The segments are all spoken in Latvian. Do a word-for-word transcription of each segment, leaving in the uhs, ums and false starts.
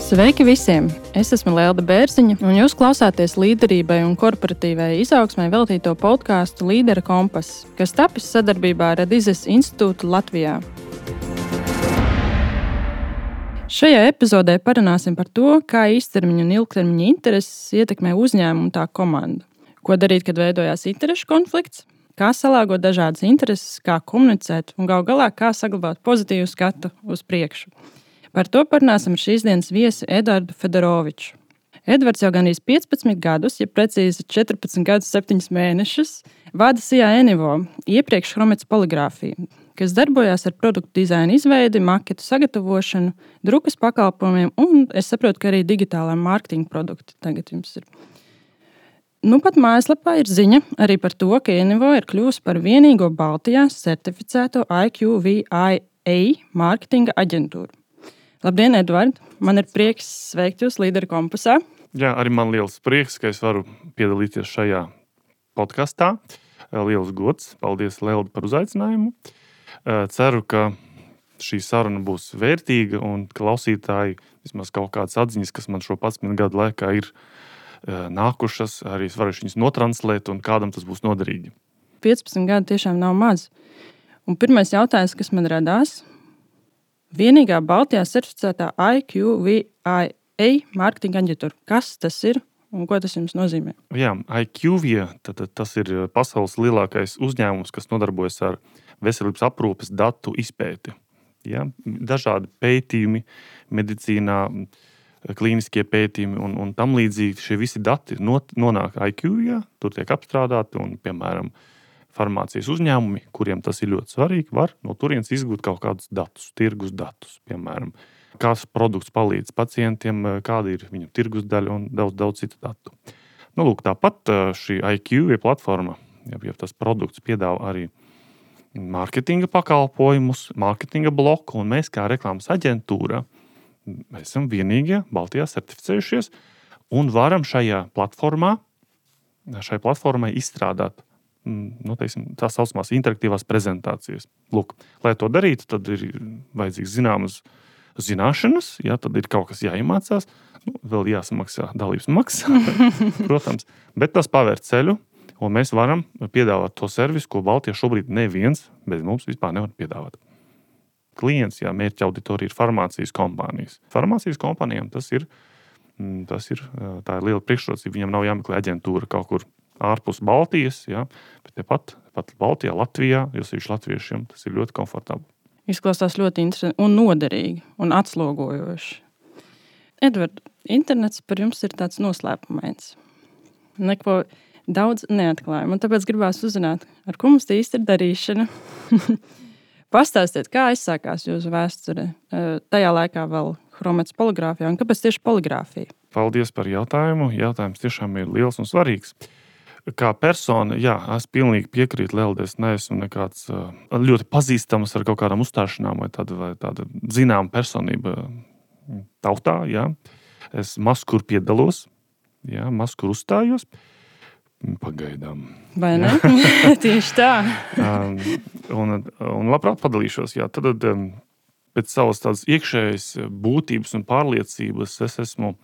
Sveiki visiem! Es esmu Lelda Bērziņa, un jūs klausāties līderībai un korporatīvai izaugsmai veltīto podkāstu Līdera kompass, kas tapis sadarbībā ar Adizes institūtu Latvijā. Šajā epizodē parunāsim par to, kā īstermiņa un ilgtermiņa intereses ietekmē uzņēmumu un tā komandu. Ko darīt, kad veidojās interešu konflikts, kā salāgot dažādas intereses, kā komunicēt un gal galā kā saglabāt pozitīvu skatu uz priekšu. Par to parunāsim ar šīs dienas viesi Eduardu Fedoroviču. Edvards jau gandrīz piecpadsmit gadus, ja precīzi četrpadsmit gadus septiņus mēnešus, vada C I A Enivo, iepriekš Chromets poligrāfiju, kas darbojās ar produktu dizaina izveidi, maketu sagatavošanu, drukas pakalpojumiem un, es saprotu, ka arī digitālā mārketinga produkti tagad jums ir. Nu pat mājaslapā ir ziņa arī par to, ka Enivo ir kļuvusi par vienīgo Baltijā certificēto I Q V I A mārketinga aģentūru. Labdien, Eduard! Man ir prieks sveikt jūs Līdera kompasā. Jā, arī man liels prieks, ka es varu piedalīties šajā podkastā. Liels gods. Paldies, Lelda, par uzaicinājumu. Ceru, ka šī saruna būs vērtīga un klausītāji vismaz kaut kādas atziņas, kas man šo padsmit gadu laikā ir nākušas, arī es varēšu viņas notranslēt un kādam tas būs noderīgi. piecpadsmit gadi tiešām nav maz. Un pirmais jautājums, kas man radās, vienīgā Baltijā certificētā I Q V I A mārketinga aģentūra. Kas tas ir un ko tas jums nozīmē? Jā, I Q V I A, tad, tad tas ir pasaules lielākais uzņēmums, kas nodarbojas ar veselības aprūpes datu izpēti. Ja? Dažādi pētījumi medicīnā, klīniskie pētījumi un, un tam līdzīgi šie visi dati not, nonāk I Q V I A, tur tiek apstrādāti un, piemēram, farmācijas uzņēmumi, kuriem tas ir ļoti svarīgi, var no turienes izgūt kaut kādus datus, tirgus datus, piemēram, kāds produkts palīdz pacientiem, kāda ir viņu tirgus daļa un daudz, daudz citu datu. Nu, lūk, tāpat šī I Q V I A platforma, ja, ja tas produkts piedāvā arī mārketinga pakalpojumus, mārketinga bloku, un mēs kā reklāmas aģentūra mēs esam vienīgie Baltijā certificējušies un varam šajā platformā, šai platformai izstrādāt nu, teiksim, tā saucamās interaktīvās prezentācijas. Lūk, lai to darītu, tad ir vajadzīgs zināmas zināšanas, jā, tad ir kaut kas jāiemācās, nu, vēl jāsamaksā dalības maksa, protams, bet tas pavēr ceļu, un mēs varam piedāvāt to servisu, ko Baltijā šobrīd neviens bez mums vispār nevar piedāvāt. Klients, jā, mērķa auditorija ir farmācijas kompānijas. Farmācijas kompānijām tas ir, tas ir, tā ir liela priekšrocība, viņam nav jāmeklē aģentūra kaut kur ārpus Baltijas, jā, bet tepat, tepat Baltijā, Latvijā, jo sevišķi latviešiem tas ir ļoti komfortabli. Izklausās ļoti interesanti un noderīgi un atslogojoši. Edvard, internets par jums ir tāds noslēpumains. Neko daudz neatklāja. Man tāpēc gribās uzzināt, ar ko mums te īsti ir darīšana. Pastāstiet, kā aizsākās jūsu vēsture tajā laikā vēl Chromets poligrāfijā un kāpēc tieši poligrāfija? Paldies par jautājumu. Jautājums tiešām ir liels un svarīgs. Kā persona, jā, es pilnīgi piekrītu Leldai, es neesmu nekāds uh, ļoti pazīstams ar kaut kādām uzstāšanām vai tāda, vai tāda zināma personība tautā, jā. Es maz kur piedalos, jā, maz kur uzstājos, pagaidām. Vai ne? Tieši tā. um, un, un labprāt padalīšos, jā, tad um, pēc savas tādas iekšējas būtības un pārliecības es esmu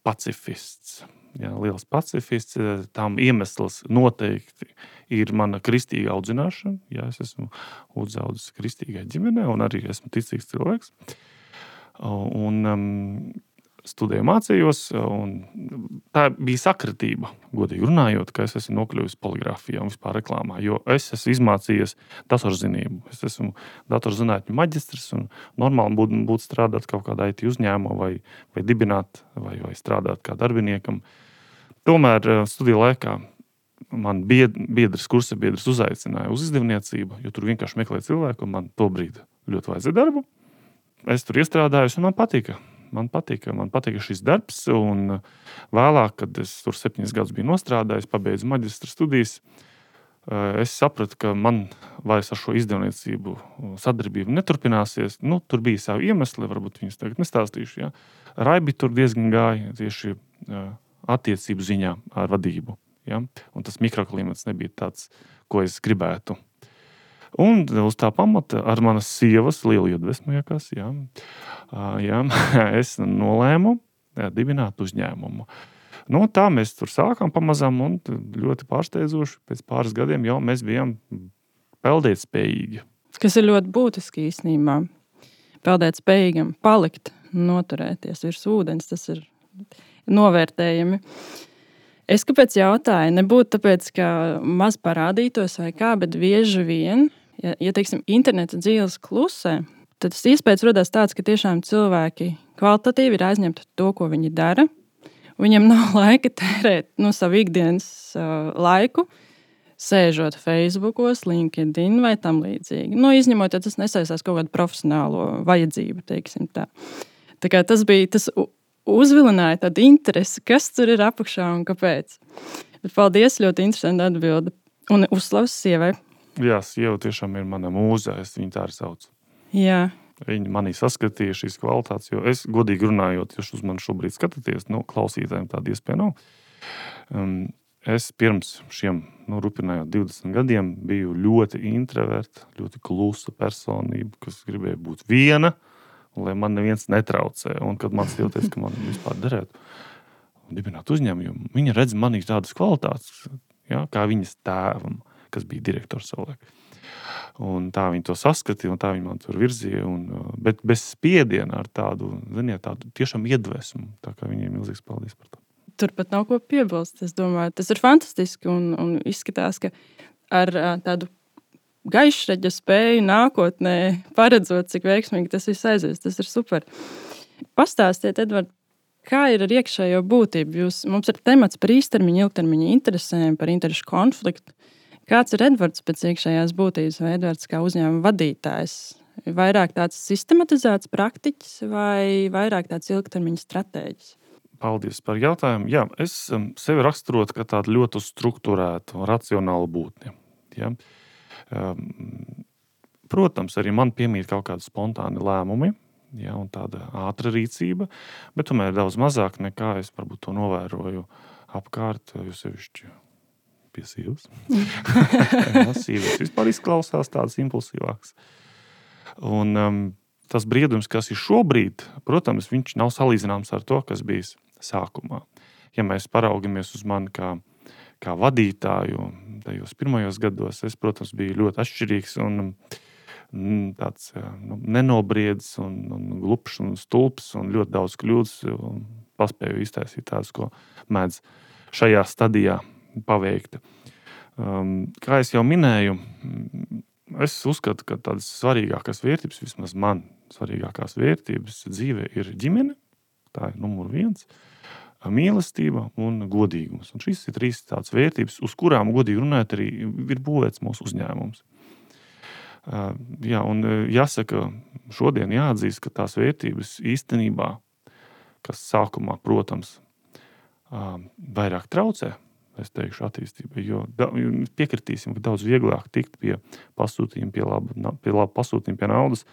pacifists. Jā, liels pacifists, tam iemesls noteikti ir mana kristīga audzināšana. Jā, es esmu uzaudzis kristīgai ģimenē un arī esmu ticīgs cilvēks. Un um, studēju mācījos, un tā bija sakritība, godīgi runājot, ka es esmu nokļuvis poligrāfijā un vispār reklāmā, jo es esmu izmācījies datorzinību. Es esmu datorzinātņu maģistrs un normāli būtu būt strādāt kaut kādā I T uzņēmumā vai, vai dibināt vai, vai strādāt kā darbiniekam. Tomēr studiju laikā man biedrs, kursa biedrs uzaicināja uz izdevniecību, jo tur vienkārši meklēja cilvēku, un man to brīdi ļoti vajadzēja darbu. Es tur iestrādājos, un man patika. Man patika, man patika šis darbs, un vēlāk, kad es tur septiņus gadus biju nostrādājis, pabeidzu maģistra studijas, es sapratu, ka man vairs ar šo izdevniecību sadarbību neturpināsies. Nu, tur bija savi iemesli, varbūt viņus tagad nestāstīšu. Ja. Raibi tur diezgan gāja tieši attiecību ziņā ar vadību. Ja? Un tas mikroklimats nebija tāds, ko es gribētu. Un uz tā pamata ar manas sievas lielu iedvesmu, jākās, jā, jā, es nolēmu dibināt uzņēmumu. Nu, tā mēs tur sākām pamazām un ļoti pārsteidzoši pēc pāris gadiem jau mēs bijām peldēt spējīgi. Kas ir ļoti būtiski īstenībā. Peldēt spējīgam, palikt, noturēties virs ūdens, tas ir novērtējami. Es kāpēc jautāju, nebūtu tāpēc, ka maz parādītos vai kā, bet bieži vien, ja, ja teiksim, interneta dzīves klusē, tad tas iespējas rodās tāds, ka tiešām cilvēki kvalitatīvi ir aizņemti to, ko viņi dara. Viņam nav laika tērēt no savu ikdienas uh, laiku, sēžot Facebookos, LinkedIn vai tam līdzīgi. Nu, izņemot, ja tas nesaistās kaut kādu profesionālo vajadzību, teiksim tā. Tā kā tas bija, tas uzvilināja tādu interesi, kas tur ir apakšā un kāpēc. Bet paldies, ļoti interesanti atbildi. Un uzslavas sievai. Jā, sieva tiešām ir mana mūze, es viņu tā arī saucu. Jā. Viņi manī saskatīja šīs kvalitātes, jo es, godīgi runājot, jūs uz mani šobrīd skatāties, nu, klausītājiem tāda iespēja nav. Um, es pirms šiem, nu, rupinājot divdesmit gadiem, biju ļoti introverta, ļoti klusa personība, kas gribēja būt viena, lai man neviens netraucē. Un kad man stilties, ka man vispār derētu dibināt uzņēmumu, viņa redz manī tādas kvalitātes, ja, kā viņas tēvam, kas bija direktors savulaik. Un tā viņi to saskatīja, un tā viņi man tur virzīja, un, bet bez spiediena ar tādu, ziniet, tādu tiešām iedvesmu. Tā kā viņiem milzīgs paldies par to. Tur pat nav ko piebilst, es domāju. Tas ir fantastiski un, un izskatās, ka ar tādu gaišreģa spēju nākotnē paredzot, cik veiksmīgi tas viss aizies. Tas ir super. Pastāstiet, Edvard, kā ir ar iekšējo būtību? Jūs, mums ir temats par īstermiņa, ilgtermiņa interesēm, par interešu konfliktu. Kāds ir Edvards pēc iekšējās būtības vai Edvards kā uzņēmuma vadītājs? Vairāk tāds sistematizēts praktiķis vai vairāk tāds ilgtermiņa stratēģis? Paldies par jautājumu. Jā, es sevi raksturotu kā tādu ļoti strukturētu, racionālu būtni. Ja? Protams, arī man piemīt kaut kādi spontāni lēmumi, ja, un tāda ātra rīcība, bet tomēr daudz mazāk nekā es varbūt to novēroju apkārt, jo sevišķi pie sievas. Jā, sievas vispār izklausās tādas impulsīvākas. Un um, tas briedums, kas ir šobrīd, protams, viņš nav salīdzināms ar to, kas bijis sākumā. Ja mēs paraugamies uz mani kā, kā vadītāju, tajos pirmajos gados, es, protams, biju ļoti atšķirīgs un mm, tāds nu, nenobriedis un, un glupšs un stulps un ļoti daudz kļūdas un paspēju iztaisīt tādas, ko mēdz šajā stadijā paveikt. Um, kā es jau minēju, es uzskatu, ka tādas svarīgākās vērtības, vismaz man svarīgākās vērtības dzīvē ir ģimene, tā ir numur viens, mīlestība un godīgums. Un šīs ir trīs tādas vērtības, uz kurām, godīgi runājot, arī ir būvēts mūsu uzņēmums. Uh, jā, un jāsaka, šodien jāatzīst, ka tās vērtības īstenībā, kas sākumā, protams, uh, vairāk traucē, es teikšu, attīstībai, jo piekritīsim, ka daudz vieglāk tikt pie pasūtījuma, pie laba, pie laba pasūtījuma, pie naudas,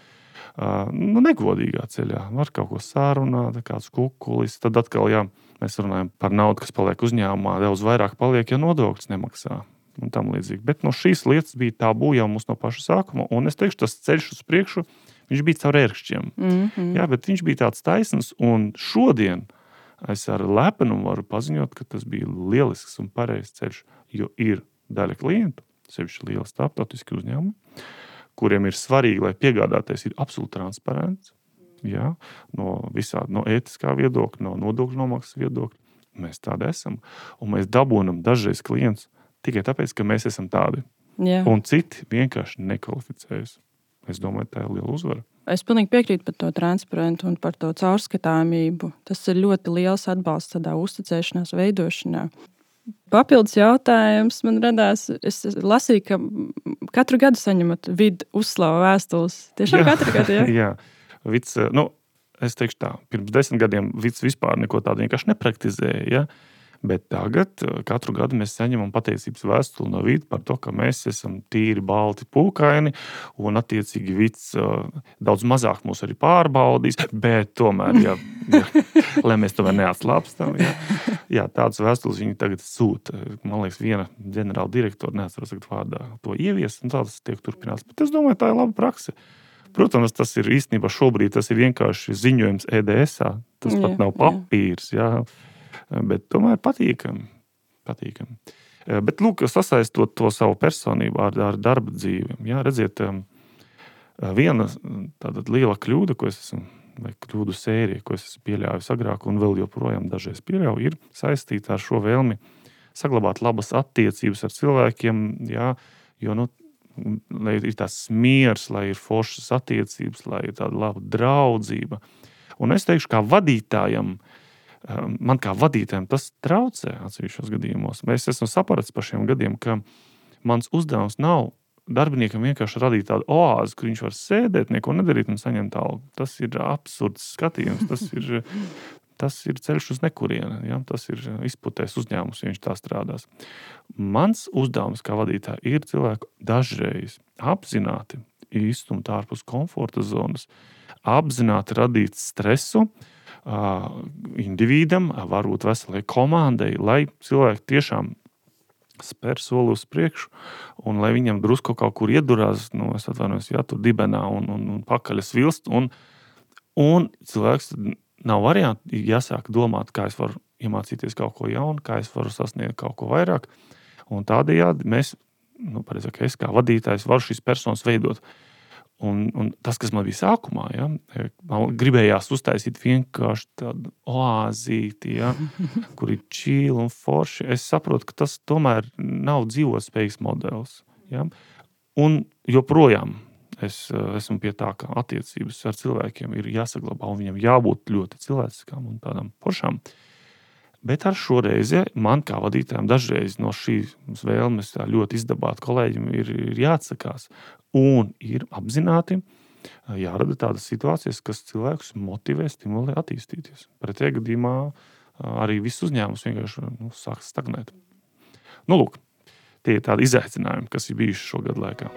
uh, nu, negodīgā ceļā. Var kaut ko sārunāt, kāds kukulis, tad atkal, jā, mēs runājam par naudu, kas paliek uzņēmumā, daudz vairāk paliek, ja nodokļus nemaksā un tam līdzīgi. Bet no šīs lietas bija tabū jau mums no paša sākuma, un es teikšu, tas ceļš uz priekšu, viņš bija caur ērkšķiem. Mm-hmm. Jā, bet viņš bija tāds taisns, un šodien es ar lepnumu varu paziņot, ka tas bija lielisks un pareizs ceļš, jo ir daļa klientu, sevišķi liela starptautiski uzņēmumi, kuriem ir svarīgi, lai piegādātais ir absolūti transparents, jā, no visā, no ētiskā viedokļa, no nodokļu nomaksas viedokļa. Mēs tādi esam, un mēs dabūnam dažreiz klientus tikai tāpēc, ka mēs esam tādi. Jā. Un citi vienkārši nekvalificējas. Es domāju, tā ir liela uzvara. Es pilnīgi piekrītu par to transparentu un par to caurskatāmību. Tas ir ļoti liels atbalsts tādā uzticēšanās veidošanā. Papildus jautājums man radās. Es lasīju, ka katru gadu saņemat vidu uzslavu vēstules. Tiešām jā, katru gadu, jā? Jā. Vids, nu, es teikšu tā, pirms desmit gadiem vids vispār neko tādu vienkārši nepraktizēja, ja? Bet tagad katru gadu mēs saņemam pateicības vēstuli no Vita par to, ka mēs esam tīri balti pūkaini un attiecīgi Vits daudz mazāk mūs arī pārbaudīs, bet tomēr, ja, ja, lai mēs tomēr neatslāpstam, ja, ja, tādas vēstules viņi tagad sūta. Man liekas, viena ģenerāla direktora, neatceros tagad vārdā, to ievies, un tāds tiek turpināts. Bet es domāju, tā ir laba prakse. Protams, tas ir īstenībā šobrīd, tas ir vienkārši ziņojums E D S-ā. Tas jā, pat nav papīrs, jā. Bet tomēr patīkami. patīkami. Bet, lūk, sasaistot to savu personību ar, ar darba dzīvi. Jā, redziet, viena tāda liela kļūda, ko es esmu, vai kļūdu sērija, ko es esmu pieļāvis agrāk un vēl joprojām dažreiz pieļauju, ir saistīta ar šo vēlmi saglabāt labas attiecības ar cilvēkiem, jā, jo, nu, lai ir tās miers, lai ir foršas attiecības, lai ir tāda laba draudzība. Un es teikšu, kā vadītājam, man kā vadītājam tas traucē atsevišķos gadījumos. Es esmu sapratis par šiem gadiem, ka mans uzdevums nav darbiniekam vienkārši radīt tādu oāzi, kur viņš var sēdēt, neko nedarīt un saņemt algu. Tas ir absurds skatījums, tas ir, tas ir ceļš uz nekurieni, ja? Tas ir izputēs uzņēmums, ja viņš tā strādās. Mans uzdevums kā vadītāja ir cilvēku dažreiz apzināti izstumt ārpus komforta zonas, apzināti radīt stresu, individam, varbūt veselai komandai, lai cilvēki tiešām spēr soli uz priekšu un lai viņam drusku kaut kur iedurās, nu, es atvainojos, jā, tur dibenā un, un, un pakaļas vilst, un, un cilvēks nav varianti jāsāk domāt, kā es varu iemācīties kaut ko jaunu, kā es varu sasniegt kaut ko vairāk, un tādējādi mēs, nu, pareizāk, es kā vadītājs varu šīs personas veidot. Un, un tas, kas man bija sākumā, ja, man gribējās uztaisīt vienkārši tādu oāzīti, ja, kur ir čīli un forši. Es saprotu, ka tas tomēr nav dzīvotspējīgs modelis. Ja. Un joprojām es esmu pie tā, ka attiecības ar cilvēkiem ir jāsaglabā un viņam jābūt ļoti cilvēciskām un tādām foršām. Bet ar šo reizi man kā vadītājiem dažreiz no šīs vēlmes ļoti izdabāt kolēģiem ir, ir jāatsakās. Un ir apzināti jārada tādas situācijas, kas cilvēkus motivē, stimulē attīstīties. Pretējā gadījumā arī viss uzņēmums vienkārši nu, sāk stagnēt. Nu, lūk, tie ir tādi izaicinājumi, kas ir bijuši šo gadu laikā.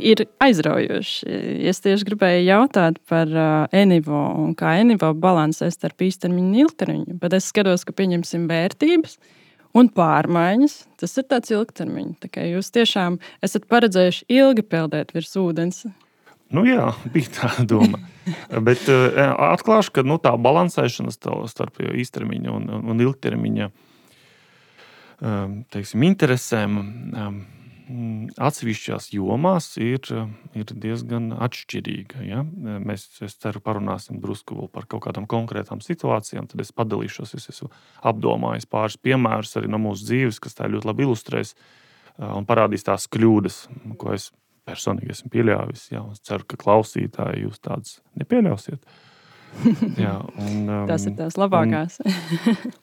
Ir aizraujoši. Es tieši gribēju jautāt par uh, Enivo un kā Enivo balansē starp īstermiņu un ilgtermiņu, bet es skatos, ka pieņemsim vērtības un pārmaiņas. Tas ir tāds ilgtermiņš. Tā kā jūs tiešām esat paredzējuši ilgi peldēt virs ūdens. Nu jā, bija tā doma. Bet uh, atklāšu, ka nu, tā balansēšana starp īstermiņa un, un ilgtermiņa um, teiksim, interesēm um, atsevišķās jomās ir, ir diezgan atšķirīga. Ja? Mēs, es ceru, parunāsim drusku vēl par kaut kādām konkrētām situācijām, tad es padalīšos, es esmu apdomājis pāris piemērus arī no mūsu dzīves, kas tā ļoti labi ilustrēs un parādīs tās kļūdas, ko es personīgi esmu pieļāvis. Ja? Es ceru, ka klausītāji jūs tādas nepieļausiet. Jā, un, um, tas ir tās labākās.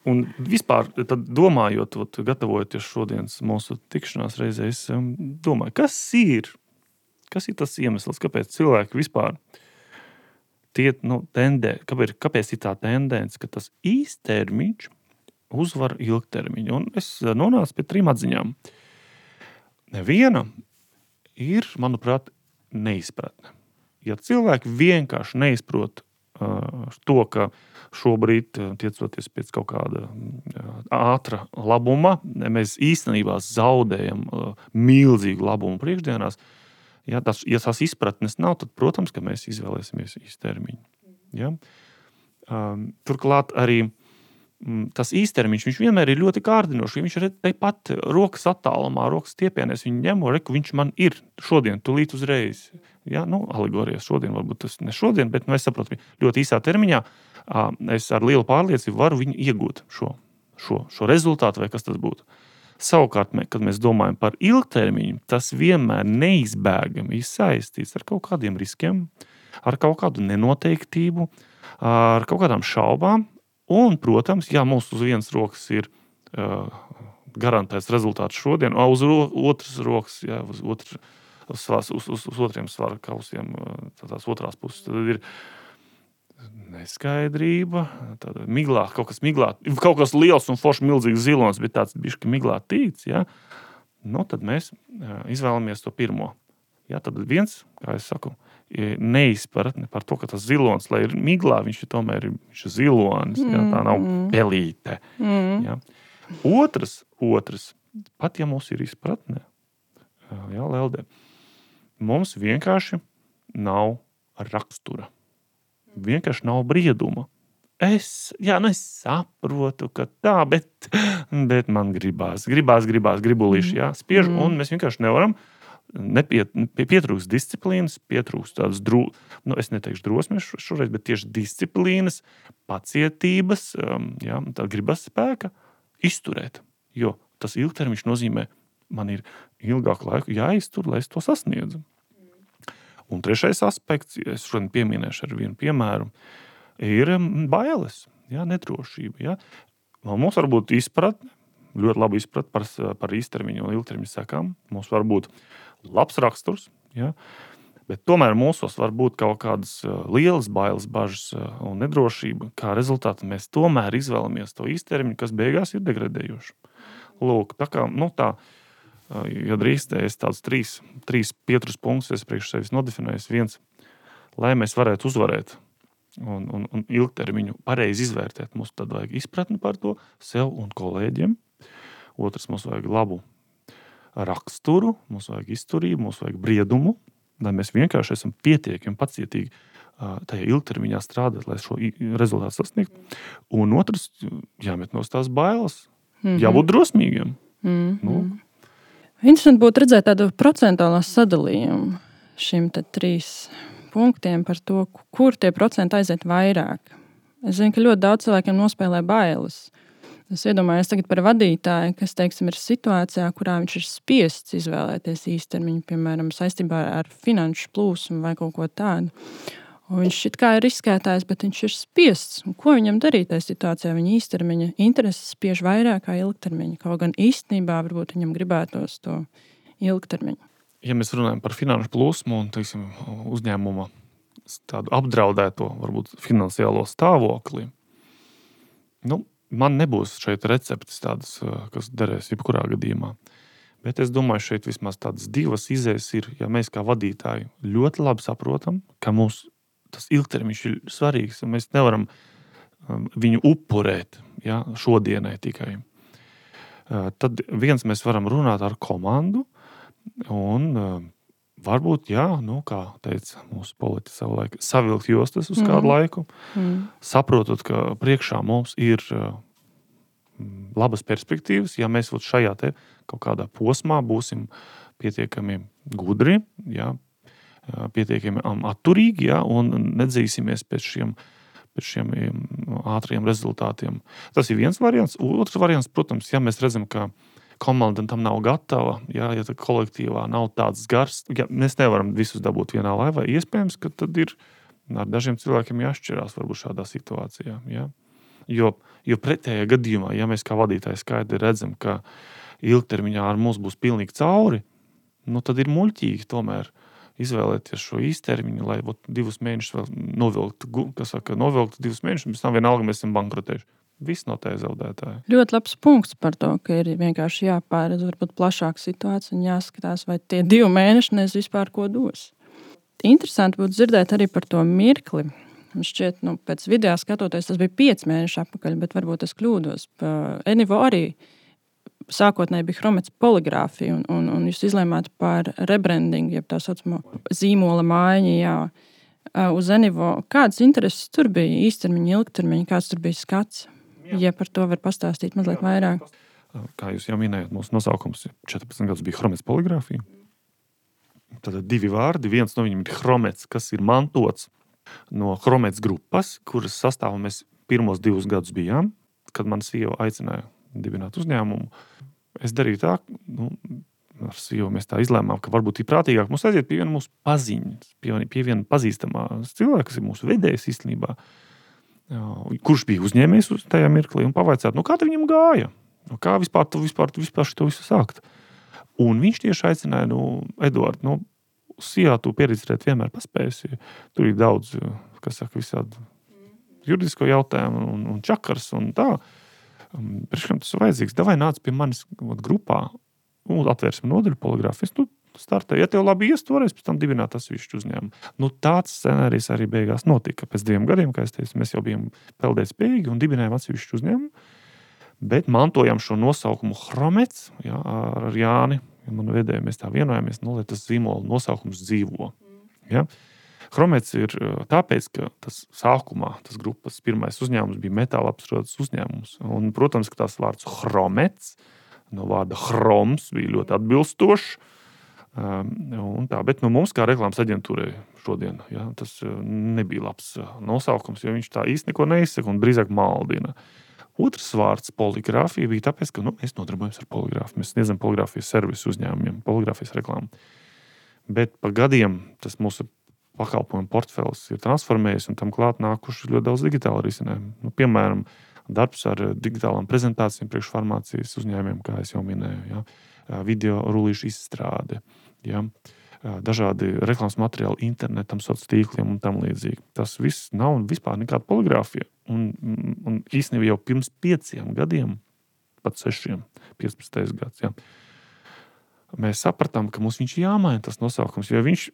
un, un vispār, tad domājot, gatavojoties šodienas mūsu tikšanās reizē, es um, domāju, kas ir, kas ir tas iemesls, kāpēc cilvēki vispār tie, nu, tendē, kāpēc, kāpēc ir tā tendence, ka tas īstermiņš uzvar ilgtermiņu. Un es nonācu pie trim atziņām. Viena ir, manuprāt, neizpratne. Ja cilvēki vienkārši neizprot to, ka šobrīd, tiecoties pēc kaut kāda ātra labuma, mēs īstenībā zaudējam milzīgu labumu priekšdienās. Ja, tas, ja tās izpratnes nav, tad, protams, ka mēs izvēlēsimies īstermiņu. Ja? Um, turklāt arī tas īstermiņš, viņš vienmēr ir ļoti kārdinošs. Viņš ir tepat rokas attālumā, rokas stiepienēs. Viņu ņemo, reku, viņš man ir šodien, tūlīt uzreiz. Ja, nu, alegorijas šodien, varbūt tas ne šodien, bet nu, es saprotu, ļoti īsā termiņā es ar lielu pārliecību varu viņu iegūt šo, šo, šo rezultātu, vai kas tas būtu. Savukārt, kad mēs domājam par ilgtermiņu, tas vienmēr neizbēgami ir saistīts ar kaut kādiem riskiem, ar kaut kādu nenoteiktību, ar kaut kādām šaubām. Un, protams, ja mums uz vienas rokas ir uh, garantēts rezultāts šodien, o uz ro- otras rokas, ja, uz, otru, uz, uz, uz, uz otriem svara kausiem, tās otrās puses, tad ir, neskaidrība, tāda miglā, kaut kas miglā, kaut kas liels un forši milzīgs zilons, bet tāds bišķi miglā tīts, ja? Nu, tad mēs izvēlamies to pirmo. Ja, tad viens, kā es saku, neizpratne par to, ka tas zilons, lai ir miglā, viņš ir tomēr viņš ir zilonis, ja? Tā nav pelīte. Ja? Otrs, otrs, pat ja mums ir izpratne, ja, Lelde, mums vienkārši nav rakstura. Vienkārši nav brieduma. Es, jā, nu es saprotu, ka tā, bet, bet man gribās, gribās, gribās, gribulīši, jā, spiež, mm. un mēs vienkārši nevaram, nepiet, pietrūks disciplīnas, pietrūks tādas, dro, nu es neteikšu drosmes šoreiz, bet tieši disciplīnas, pacietības, jā, tā gribas spēka izturēt, jo tas ilgtermiņš nozīmē, man ir ilgāku laiku jāiztur, lai es to sasniedzu. Un trešais aspekts, es šodien pieminēšu ar vienu piemēru, ir bailes, ja, nedrošība. Ja. Mums var būt izpratne, ļoti labi izpratne par, par īstermiņu un ilgtermiņu sekām. Mums var būt labs raksturs, ja, bet tomēr mūsos var būt kaut kādas lielas bailes, bažas un nedrošība. Kā rezultātā mēs tomēr izvēlamies to īstermiņu, kas beigās ir degradējoši. Lūk, tā kā, nu tā, ja drīkstē, es tādus trīs, trīs pietrus punktus es priekš sevis nodefinēju. Viens, lai mēs varētu uzvarēt un, un, un ilgtermiņu pareizi izvērtēt, mums tad vajag izpratni par to sev un kolēģiem. Otrs, mums vajag labu raksturu, mums vajag izturību, mums vajag briedumu, lai mēs vienkārši esam pietiekami pacietīgi tajā ilgtermiņā strādāt, lai šo rezultātu sasniegtu. Un otrs, jāmet no tās bailes, mm-hmm. jābūt drosmīgiem. Mm-hmm. Nu, interesanti būtu redzēt tādu procentuālā sadalījumu šim te trīs punktiem par to, kur tie procenti aiziet vairāk. Es zinu, ka ļoti daudz cilvēkiem nospēlē bailes. Es iedomājos tagad par vadītāju, kas, teiksim, ir situācijā, kurā viņš ir spiests izvēlēties īstermiņu, piemēram, saistībā ar finanšu plūsmu vai kaut ko tādu. Un viņš šit kā ir riskētājs, bet viņš ir spiests. Un ko viņam darīt tajā situācijā? Viņa īstermiņa intereses spiež vairāk kā ilgtermiņa. Kaut gan īstenībā varbūt viņam gribētos to ilgtermiņu. Ja mēs runājam par finanšu plūsmu un, teiksim, uzņēmuma tādu apdraudēto, varbūt finansiālo stāvokli, nu, man nebūs šeit receptes tādas, kas derēs jebkurā gadījumā. Bet es domāju, šeit vismaz tādas divas izējas ir, ja mēs kā vadītāji ļoti labi saprotam, ka mums tas ilgtermiņš ir svarīgs, un mēs nevaram viņu upurēt, ja, šodienai tikai. Tad viens mēs varam runāt ar komandu, un varbūt, jā, nu, kā teica mūsu politi savulaik, savilkt jostas uz kādu mm. laiku, mm. saprotot, ka priekšā mums ir labas perspektīvas, ja mēs šajā te kaut kādā posmā būsim pietiekami gudri, jā, pietiekami atturīgi, ja, un nedzīsimies pēc šiem, pēc šiem ātriem rezultātiem. Tas ir viens variants. Otrs variants, protams, ja mēs redzam, ka komanda tam nav gatava, ja, ja kolektīvā nav tāds gars, ja mēs nevaram visus dabūt vienā laivā, iespējams, ka tad ir ar dažiem cilvēkiem jāšķirās varbūt šādā situācijā. Ja. Jo, jo pretējā gadījumā, ja mēs kā vadītāji skaidri redzam, ka ilgtermiņā ar mums būs pilnīgi cauri, nu tad ir muļķīgi tomēr izvēlēties šo īstermiņu, lai ot, divus mēnešus vēl novilkt, kas saka, novilkt divus mēnešus, mēs tam vienalga mēs esam bankrotējuši. Viss no tā zaudētāji. Ļoti labs punkts par to, ka ir vienkārši jāpāredz varbūt plašāka situācija un jāskatās, vai tie divi mēneši nes vispār ko dos. Interesanti būtu dzirdēt arī par to mirkli. Šķiet, nu, pēc video skatoties, tas bija pieci mēneši atpakaļ, bet varbūt es kļūdos. Enivo arī sākotnēji bija Chromets poligrāfija, un, un, un jūs izlēmāt par rebrandingu, jeb tā saucamo zīmola maiņu, jā, uz Enivo. Kādas intereses tur bija īstermiņa, ilgtermiņa, kāds tur bija skats? Jā. Ja par to var pastāstīt mazliet vairāk. Kā jūs jau minējāt, mūsu nosaukums četrpadsmit gadus bija Chromets poligrāfija. Tad divi vārdi, viens no viņiem ir Chromets, kas ir mantots no Chromets grupas, kuras sastāvā mēs pirmos divus gadus bijām, kad man sieva aicināja dibināt uzņēmumu. Es darīju tā, nu, ar sievu mēs tā izlēmām, ka varbūt ir prātīgāk mums aiziet pie viena mūsu paziņas, pie, pie viena pazīstamā cilvēka, kas ir mūsu vedējs īstenībā, kurš bija uzņēmējs uz tajā mirklī, un pavaicāt, nu kā te viņam gāja? Nu, kā vispār tu vispār, tu vispār šito visu sākt? Un viņš tieši aicināja, nu, Eduard, nu, sijā tu pieredzēt vienmēr paspējusi. Tur ir daudz, kas saka, visādi juridisko jautājumu un, un čakars un tā. Priekškam tas ir vajadzīgs. Davai nāc pie manis grupā un atvērsim nodaļu poligrāfijas. Nu, startē. Ja tev labi ies, toreiz pēc tam dibināt atsevišķu uzņēmumu. Nu, tāds scenārijs arī beigās notika. Pēc diviem gadiem, kā es teicu, mēs jau bijām peldēt spējīgi un dibinājām atsevišķu uzņēmumu. Bet mantojam šo nosaukumu Chromets, jā, ar Jāni, ja manu vedēju mēs tā vienojāmies, nu, lai tas zīmola nosaukums dzīvo. Ja? Chromets ir tāpēc, ka tas sākumā, tas grupas pirmais uzņēmums bija metāla apstrādes uzņēmums. Un, protams, ka tās vārds Chromets, no vārda chroms, bija ļoti atbilstošs. Un tā, bet nu, mums kā reklāmas aģentūrai šodien, ja, tas nebija labs nosaukums, jo viņš tā īsti neko neizsaka un drīzāk maldina. Otrs vārds poligrāfija bija tāpēc, ka nu, mēs nodarbojamies ar poligrāfiju. Mēs sniedzam poligrāfijas servisu uzņēmumiem, poligrāfijas reklāmu. Bet pa gadiem tas mūsu pakalpojumu portfels ir transformējies un tam klāt nākuši ļoti daudz digitāla risinājumu. Nu, piemēram, darbs ar digitālām prezentācijām priekšfarmācijas uzņēmumiem, kā es jau minēju, ja, video rullīšu izstrāde, ja, dažādi reklāmas materiāli internetam, sociāliem tīkliem un tam līdzīgi. Tas viss nav vispār nekāda poligrāfija. Un, un īstenībā jau pirms pieciem gadiem, pat sešiem, piecpadsmitais gads, ja, mēs sapratām, ka mums viņš jāmaina tas nosaukums, jo viņš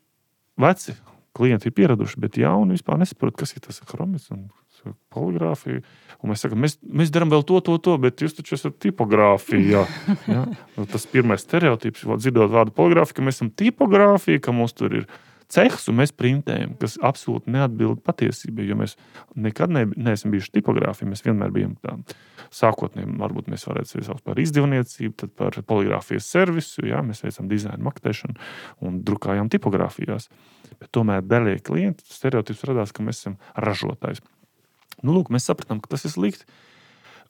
veci klienti ir pieraduši, bet jauni vispār nesaprot, kas ir tas Chromets un poligrāfija. Un mēs sakām, mēs, mēs darām vēl to, to, to, bet jūs taču esat tipogrāfija. Ja? Tas pirmais stereotips, dzirdot vārdu poligrāfija, ka mēs esam tipogrāfija, ka mums tur ir cehs un mēs printējam, kas absolūti neatbild patiesībai, jo mēs nekad ne, neesam bijuši tipogrāfija, mēs vienmēr bijām tā sākotnēm, varbūt mēs varētu sevi saukt par izdevniecību, tad par poligrāfijas servisu, jā, mēs veicam dizainu, maktēšanu un drukājām tipogrāfijās. Bet tomēr daļai klienti stereotips radās, ka mēs esam ražotājs. Nu, lūk, mēs sapratām, ka tas ir slikti.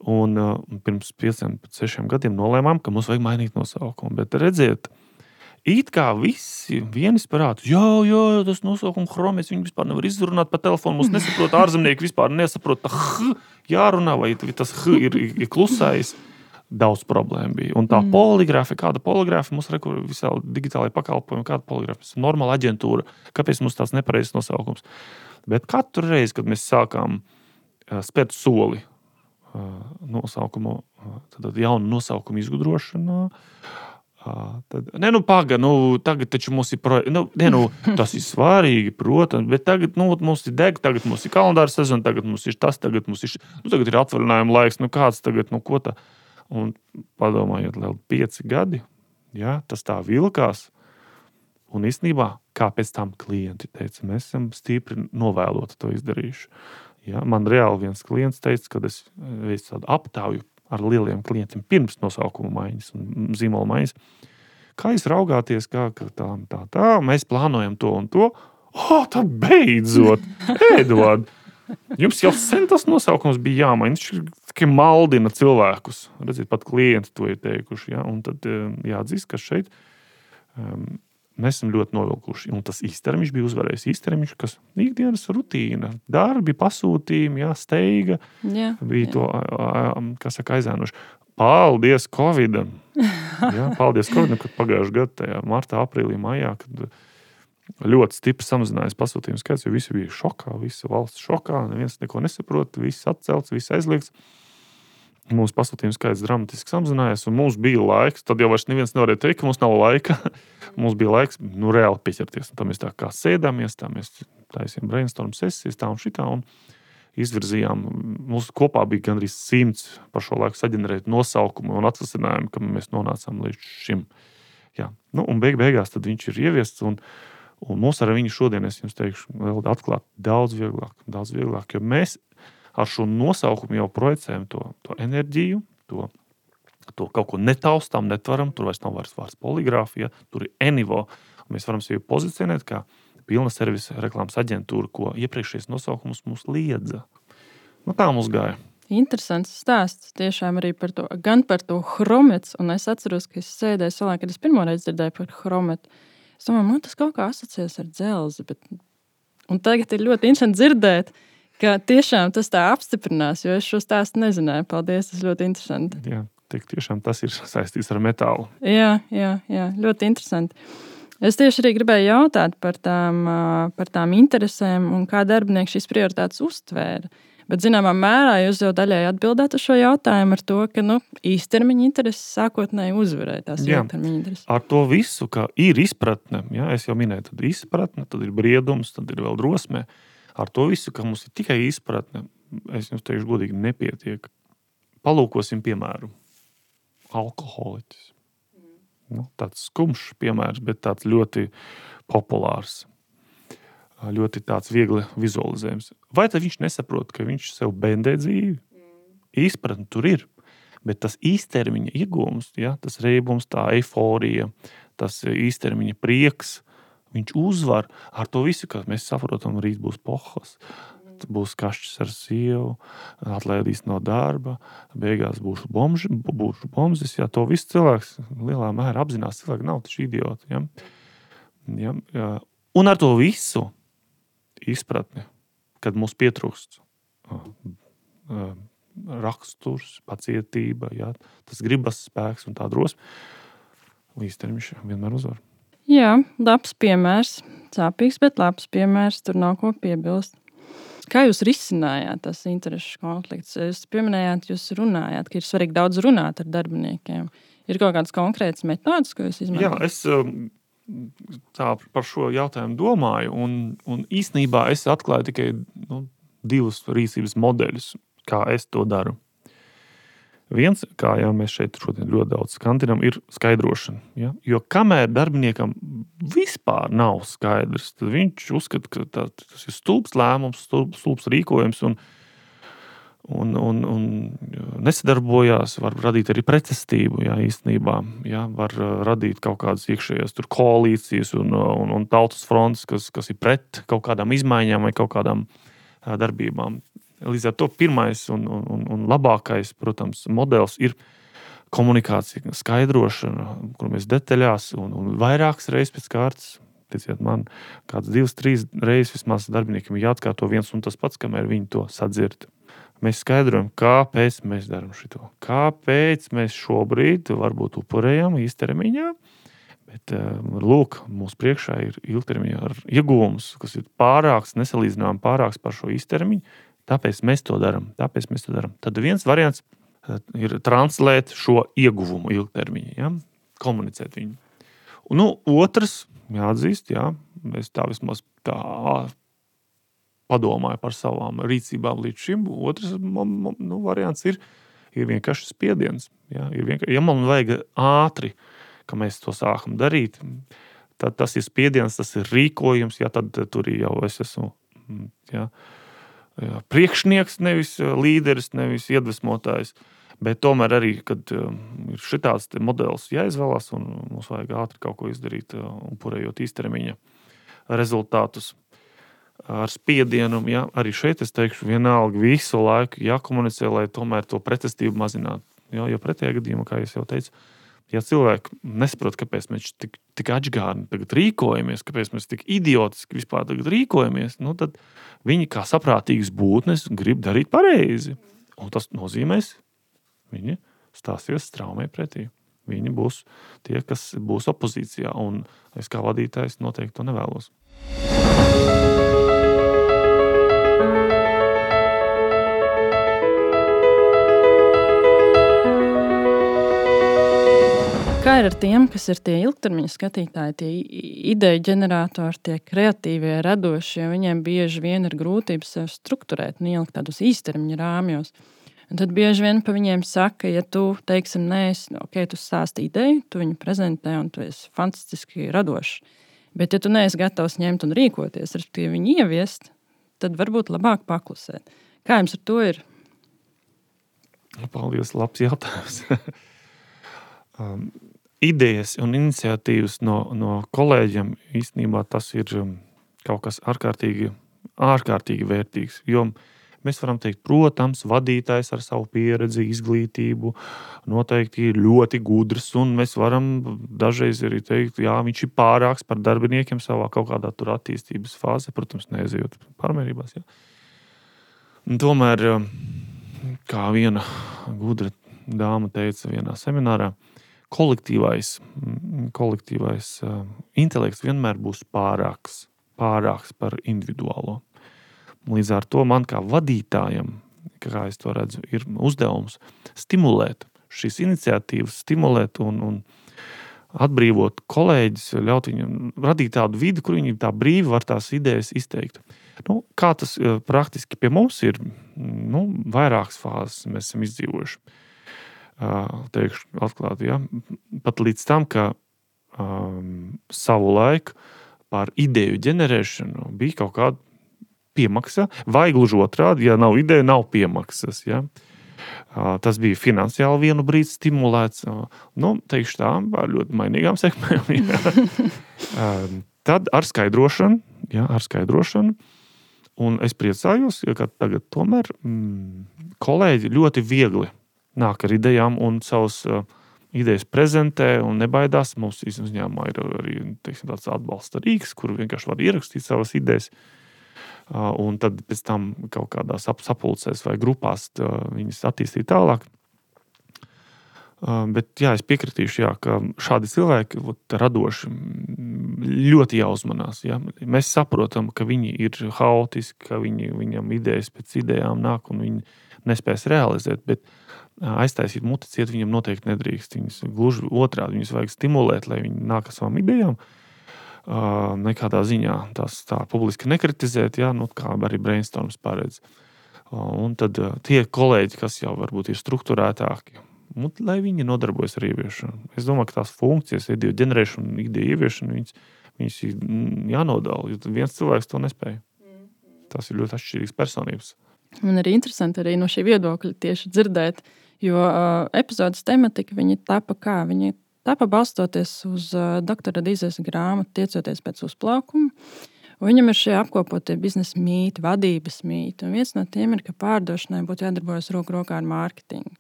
Un uh, pirms pieciem, sešiem gadiem nolēmām, ka mums vajag mainīt nosaukumu. Bet redziet, it kā visi vienisprātus, jā, jā, tas nosaukums Chromets, viņi vispār nevar izrunāt pa telefonu, mums nesaprot, ārzemnieki vispār nesaprot, tā H jārunā, vai tas H ir, ir klusais. Daudz problēma bija. Un tā mm. poligrāfija, kāda poligrāfija, mums rekur visā digitālajā pakalpojumā, kāda poligrāfija, normāla aģentūra, kāpēc mums tāds nepareizs nosaukums. Bet katru reizi, kad mēs sākām uh, spērt soli uh, nosaukumu, uh, tad jaunu nosaukumu izgudrošanā, uh, tad, ne, nu, paga, nu, tagad taču mums ir, pro, nu, ne, nu, tas ir svarīgi, protams, bet tagad, nu, mums ir deg, tagad mums ir kalendāra sezona, tagad mums ir tas, tagad mums ir, nu, tagad ir atvaļinājuma laiks, nu, kāds tagad, nu, ko tā, un padomājiet, vēl pieci gadi, ja, tas tā vilkās, un īstenībā, kā pēc tam klienti teica, mēs esam stipri novēloti to izdarījuši. Ja, man reāli viens klients teica, kad es veicu tādu aptauju ar lieliem klientiem pirms nosaukuma maiņas un zīmola maiņas, kā jūs raugāties, kā, kā tā, tā, tā, mēs plānojam to un to, oh, tā beidzot, Eduard, jums jau sen tas nosaukums bija jāmaina, viņš tikai maldina cilvēkus, redziet, pat klienti to ir teikuši, ja, un tad jāatzīst, ka šeit um, mēs esam ļoti novilkuši. Un tas īstermiņš bija uzvarējis. Īstermiņš, kas ikdienas rutīna, darbi, pasūtījumi, jā, steiga, jā, bija jā. To, kas saka, aizēnoši. Paldies Covidam! Jā, paldies Covidam, kad pagājuši gadu tajā martā, aprīlī, maijā, kad ļoti stipri samazinājās pasūtījumu skaits, jo visi bija šokā, visa valsts šokā, neviens neko nesaprot, viss atcelts, viss aizliegts. Mūsu pasūtījums skaits dramatiski samazinājās, un mums bija laiks, tad jau vairs neviens nevarēja teikt, ka mums nav laika. Mums bija laiks, nu, reāli pieķerties. Un tā mēs tā kā sēdāmies, tā mēs taisījām brainstorm sesijas, tā un šitā, un izvirzījām. Mums kopā bija gandrīz simts par šo laiku saģenerēt nosaukumu un atvasinājumu, ka mēs nonācām līdz šim. Jā. Nu, un beig beigās tad viņš ir ieviests, un, un mums ar viņu šodien, es jums teikšu, vēl atklāt daudz vieglāk, daudz vieglāk, jo mēs ar šo nosaukumu jau projicējam to, to enerģiju, to, to kaut ko netaustām, netvaram, tur vairs nav vairs vārds poligrāfija, tur ir Enivo. Mēs varam sevi pozicionēt kā pilna servisa reklāmas aģentūra, ko iepriekšējais nosaukums mums liedza. Nu, tā mums gāja. Interesants stāsts tiešām arī par to, gan par to Chromets, un es atceros, ka es sēdēju salā, kad es pirmoreiz dzirdēju par Chrometu. Es domāju, man tas kaut kā asociēs ar dzelzi, bet... Un tagad ir ļoti interesanti dzirdēt, ka tiešām tas tā apstiprinās, jo es šo stāstu nezināju. Paldies, tas ļoti interesanti. Jā, tik tiešām tas ir saistīts ar metālu. Jā, jā, jā, ļoti interesanti. Es tieši arī gribēju jautāt par tām, par tām interesēm un kā darbinieki šīs prioritātes uztvēra. Bet, zināmā mērā, jūs jau daļai atbildēt uz šo jautājumu ar to, ka nu, īstermiņa intereses sākotnēji uzvarēja tās ilgtermiņa intereses. Ar to visu, ka ir izpratne, ja, es jau minēju, tad ir izpratne, tad ir briedums, tad ir vēl drosme. Ar to visu, ka mums ir tikai izpratne, es jums teikšu godīgi, nepietiek. Palūkosim piemēru. Alkoholiķis. Nu, tāds skumšs piemērs, bet tāds ļoti populārs. Ļoti tāds viegli vizualizējums. Vai tad viņš nesaprot, ka viņš sev bendē dzīvi? Izpratni tur ir. Bet tas īstermiņa iegūms, ja, tas reibums, tā eiforija, tas īstermiņa prieks, viņš uzvar ar to visu, ka mēs saprotam, rīt būs pohas, būs kašķis ar sievu, atlaidīs no darba, beigās būšu, bomži, būšu bomzis. Ja, to visu cilvēks lielā mērā apzinās. Cilvēki nav taču idioti. Ja. Ja, ja. Un ar to visu izpratni, kad mums pietrūkst raksturs, pacietība, ja, tas gribas spēks un tā drosme, īstermiņš vienmēr uzvar. Jā, labs piemērs. Sāpīgs, bet labs piemērs. Tur nav ko piebilst. Kā jūs risinājāt tas interešu konflikts? Jūs pieminējāt, jūs runājāt, ka ir svarīgi daudz runāt ar darbiniekiem. Ir kaut kāds konkrēts metods, ko jūs izmantojat? Jā, es tā par šo jautājumu domāju, un, un īstenībā es atklāju tikai nu, divus rīcības modeļus, kā es to daru. Viens, kā jau mēs šeit šodien ļoti daudz skantinam, ir skaidrošana. Ja? Jo kamēr darbiniekam vispār nav skaidrs, tad viņš uzskata, ka tā, tas ir stulbs lēmums, stulbs, stulbs rīkojums un, un, un, un nesadarbojās, var radīt arī pretestību, ja, īstenībā. Ja? Var radīt kaut kādas iekšējās tur koalīcijas un, un, un tautas fronts, kas, kas ir pret kaut kādām izmaiņām vai kaut kādām darbībām. Līdz ar to pirmais un, un, un labākais, protams, modelis ir komunikācija, skaidrošana, kur mēs detaļās un, un vairākas reizes pēc kārtas, ticiet man, kāds divas, trīs reizes vismaz darbiniekiem jāatkārto viens un tas pats, kamēr viņi to sadzird. Mēs skaidrojam, kāpēc mēs darām šito. Kāpēc mēs šobrīd varbūt upurējam īstermiņā, bet lūk, mūsu priekšā ir ilgtermiņā ar iegūmus, kas ir pārāks, nesalīdzinām pārāks par šo īstermiņu. Tāpēc mēs to darām. Tāpēc mēs to darām. Tad viens variants ir translēt šo ieguvumu ilgtermiņā, ja? Komunicēt viņu. Un, nu, otrs, jāatzīst, jā, es tā vismaz tā padomāju par savām rīcībām līdz šim. Otrs nu, variants ir, ir vienkārši spiediens. Ja? Ir vienkārši, ja man vajag ātri, ka mēs to sākam darīt, tad tas ir spiediens, tas ir rīkojums, ja tad tur jau es esmu, ja, Jā, priekšnieks, nevis līderis, nevis iedvesmotājs, bet tomēr arī, kad ir šitāds modelis jāizvēlās un mums vajag ātri kaut ko izdarīt, upurējot īstermiņa rezultātus ar spiedienu, ja, arī šeit es teikšu vienalga visu laiku jākomunicē, lai tomēr to pretestību mazinātu. Ja, jo pretējā gadījumā, kā es jau teicu, ja cilvēki nesaprot, kāpēc mēs tik, tik atžgārni tagad rīkojamies, kāpēc mēs tik idiotiski vispār tagad rīkojamies, nu tad viņi kā saprātīgas būtnes grib darīt pareizi. Un tas nozīmēs, viņi stāsies straumē pretī. Viņi būs tie, kas būs opozīcijā, un es kā vadītājs noteikti to nevēlos. Kā ir ar tiem, kas ir tie ilgtermiņa skatītāji, tie ideju ģeneratori, tie kreatīvie, radošie, viņiem bieži vien ir grūtības sev strukturēt un ielikt tādus īstermiņa rāmjos. Un tad bieži vien pa viņiem saka, ja tu, teiksim, neesi, ok, tu stāsti ideju, tu viņu prezentē un tu esi fantastiski radošs. Bet ja tu neesi gatavs ņemt un rīkoties, respektīvi viņu ieviest, tad varbūt labāk paklusēt. Kā jums ar to ir? Paldies, labs jautājums. um, idejas un iniciatīvas no, no kolēģiem īstenībā tas ir kaut kas ārkārtīgi, ārkārtīgi vērtīgs, jo mēs varam teikt, protams, vadītājs ar savu pieredzi, izglītību noteikti ir ļoti gudrs, un mēs varam dažreiz arī teikt, jā, viņš ir pārāks par darbiniekiem savā kaut kādā tur attīstības fāzē, protams, neaizejot pārmērībās. Jā. Un tomēr, kā viena gudra dāma teica vienā seminārā, kolektīvais, kolektīvais intelekts vienmēr būs pārāks, pārāks par individuālo. Līdz ar to man kā vadītājam, kā es to redzu, ir uzdevums stimulēt šīs iniciatīvas, stimulēt un, un atbrīvot kolēģis, ļaut viņam radīt tādu vidi, kur viņi tā brīvi var tās idejas izteikt. Nu, kā tas praktiski pie mums ir, nu, vairākas fāzes mēs esam izdzīvojuši. Teikšu atklāti, ja? Pat līdz tam, ka um, savu laiku par ideju ģenerēšanu bija kaut kāda piemaksa, vai gluži otrādi, ja nav ideja, nav piemaksas. Ja? Tas bija finansiāli vienu brīdi stimulēts, nu, teikšu tā, ar ļoti mainīgām sekmēm. Ja? Tad ar skaidrošanu, ja, ar skaidrošanu, un es priecājos, ka tagad tomēr mm, kolēģi ļoti viegli nāk ar idejām un savus uh, idejas prezentē un nebaidās. Mums uzņēmumā ir arī, teiksim, tāds atbalsta rīks, kur vienkārši var ierakstīt savas idejas. Uh, un tad pēc tam kaut kādās sapulcēs vai grupās tā, viņas attīstīt tālāk. Uh, bet jā, es piekritīšu, jā, ka šādi cilvēki ot, radoši ļoti jāuzmanās. Jā. Mēs saprotam, ka viņi ir haotiski, ka viņi, viņam idejas pēc idejām nāk un viņi nespēs realizēt, bet uh, aiztaisīt muti ciet viņam noteikti nedrīkst. Viņas gluži otrādi, viņas vajag stimulēt, lai viņi nāk ar savām idejām. Uh, nekādā ziņā tās tā publiski nekritizēt, jā, nu, kā arī brainstorms paredz. Uh, un tad uh, tie kolēģi, kas jau varbūt ir strukturētāki, un, lai viņi nodarbojas ar ieviešanu. Es domāju, ka tās funkcijas, ideju ģenerēšana, ideju ieviešana, viņas, viņas ir jānodala, jo viens cilvēks to nespēja. Tas ir ļoti atšķirīgs personības. Man arī interesanti arī no šī viedokļa tieši dzirdēt, jo uh, epizodes tematika, viņi tapa kā, viņi Tāpēc balstoties uz uh, doktora Dīzes grāmatu Tiecoties pēc uzplaukuma, viņam ir šie apkopotie biznesa mīti, vadības mīti, un viens no tiem ir, ka pārdošanai būtu jādarbojas roku rokā ar mārketingu.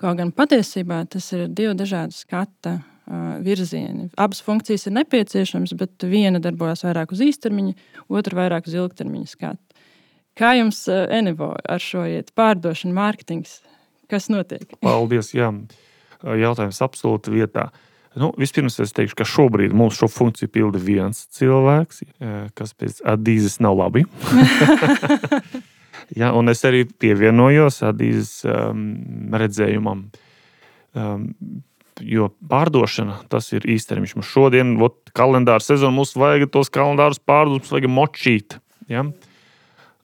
Kaut gan patiesībā tas ir divi dažādi skata uh, virzieni. Abas funkcijas ir nepieciešamas, bet viena darbojas vairāk uz īstermiņa, otra vairāk uz ilgtermiņa skatu. Kā jums, uh, Enivo, ar šo iet pārdošanu, mārketings? Kas notiek? Paldies, jā. Jautājums absolūti vietā. Nu, vispirms es teikšu, ka šobrīd mums šo funkciju pilda viens cilvēks, kas pēc Adīzes nav labi. Ja, un es arī pievienojos Adīzes um, redzējumam. Um, jo pārdošana, tas ir īstermiņš. Mums šodien, ot, kalendāra sezona, mums vajag tos kalendārus pārdot, mums vajag močīt. Ja?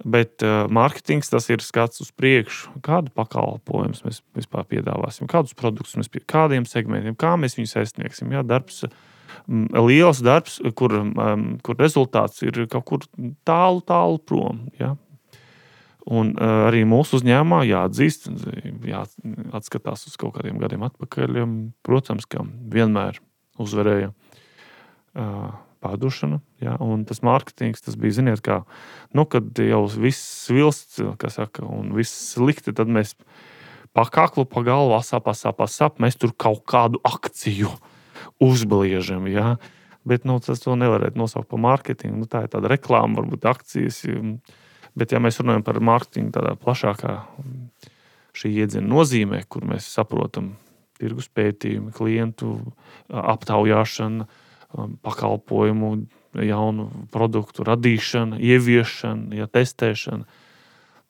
Bet uh, mārketings, tas ir skats uz priekšu. Kādu pakalpojumus mēs vispār piedāvāsim, kādus produktus mēs pie kādiem segmentiem, kā mēs viņus aizsniegsim. Jā, darbs, um, liels darbs, kur, um, kur rezultāts ir kaut kur tālu, tālu prom. Jā. Un uh, arī mūsu uzņēmumā jāatzīst, jāatskatās uz kaut kādiem gadiem atpakaļ. Protams, ka vienmēr uzvarēja uh, pārdošana, ja, un tas mārketings, tas bija, ziniet, kā, nu, kad jau viss svilsts, kā saka, un viss slikti, tad mēs pa kaklu, pa galvu, asap, asap, asap, mēs tur kaut kādu akciju uzbliežam, ja, bet, nu, tas to nevarētu nosaukt par mārketingu, nu, tā ir tāda reklāma, varbūt akcijas, bet, ja mēs runājam par mārketingu tādā plašākā šī iedziena nozīmē, kur mēs saprotam tirgus pētījumi, klientu aptaujāšana, pakalpojumu, jaunu produktu radīšana, ieviešana, ja, testēšana.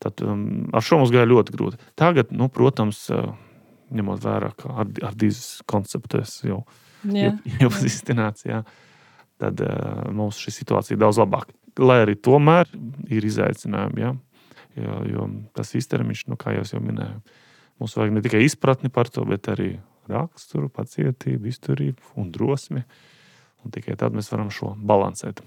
Tad um, ar šo mums gāja ļoti grūti. Tagad, nu, protams, uh, ņemot vērā, ka ar, ar dīzes konceptēs jau iepazīstināts, jā, tad uh, mums šī situācija ir daudz labāka. Lai arī tomēr ir izaicinājumi, jā, jo, jo tas īstermiņš, nu, kā jau jau minēju, mums vajag ne tikai izpratni par to, bet arī raksturu, pacietību, izturību un drosmi. Un tikai tad mēs varam šo balansēt.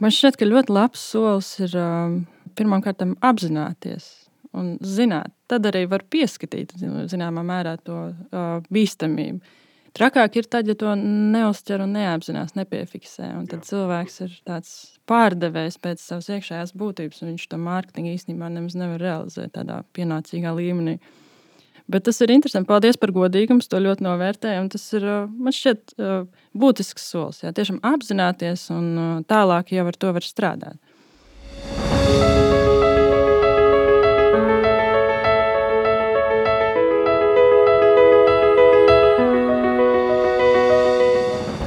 Man šķiet, ka ļoti labs solis ir um, pirmām kārtām apzināties un zināt. Tad arī var pieskatīt, zināmā mērā, to uh, bīstamību. Trakāk ir tad, ja to neuzķer un neapzinās, nepiefiksē. Un tad Jā. Cilvēks ir tāds pārdevējs pēc savas iekšējās būtības, un viņš to mārketingu īstenībā nemaz nevar realizēt tādā pienācīgā līmenī. Bet tas ir interesanti. Paldies par godīgumu, to ļoti novērtēju. Un tas ir, man šķiet, būtisks solis. Jā. Tiešām apzināties un tālāk jau ar to var strādāt.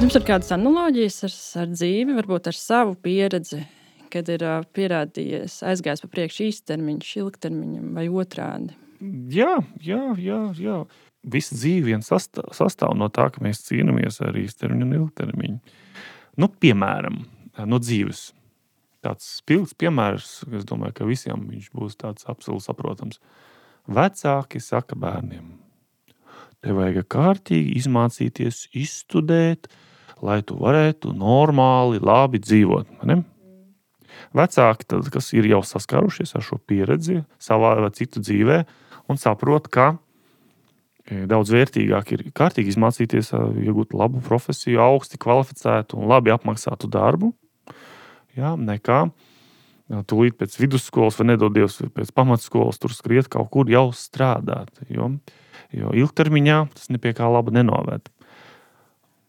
Jums ir kādas analoģijas ar, ar dzīvi, varbūt ar savu pieredzi, kad ir uh, pierādījies, aizgājis pa priekšu īstermiņš, ilgtermiņam vai otrādi? Jā, jā, jā, jā. Visa dzīve vien sastāv, sastāv no tā, ka mēs cīnāmies ar īstermiņu un ilgtermiņu. Nu, piemēram, no dzīves. Tāds spilgts piemērs, es domāju, ka visiem viņš būs tāds absolūti saprotams. Vecāki saka bērniem, tev vajag kārtīgi izmācīties, izstudēt, lai tu varētu normāli, labi dzīvot. Ne? Vecāki, tad, kas ir jau saskarušies ar šo pieredzi savā vai citu dzīvē un saprot, ka daudz vērtīgāk ir kārtīgi izmācīties, iegūt labu profesiju, augsti kvalificētu un labi apmaksātu darbu, jā, nekā tūlīt pēc vidusskolas vai nedodies pēc pamatskolas tur skriet kaut kur jau strādāt, jo, jo ilgtermiņā tas nepie kā laba nenoved.